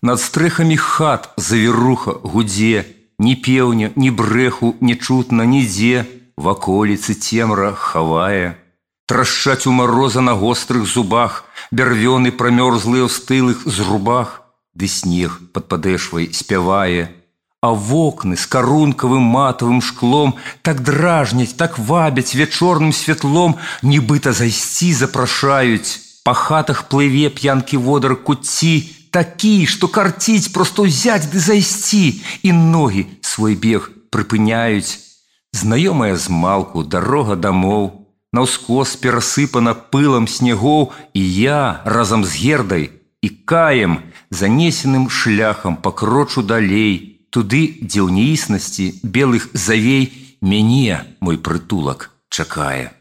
Над стрэхамі хат завіруха гудзе, ні пеўня, ні брэху не чутна нідзе, ваколіцы цемра хавае. Трашчаць у мароза на гострых зубах, бярвёны прамёрзлыя ў стылых зрубах, ды снег пад падэшвай спявае. А вокны з карункавым матавым шклом так дражняць, так вабяць вечорным святлом, нібыта зайсці запрашаюць. Па хатах плыве п'янкі водар куцці, такі, што карціць проста ўзяць ды зайсці, і ногі свой бег прыпыняюць. Знаёмая змалку дарога дамоў, наўскос перасыпана пылам снегоў, і я разам з Гердай і Каем занесеным шляхам пакрочу далей, туды, дзе ў неіснасці белых завей мяне мой прытулак чакае.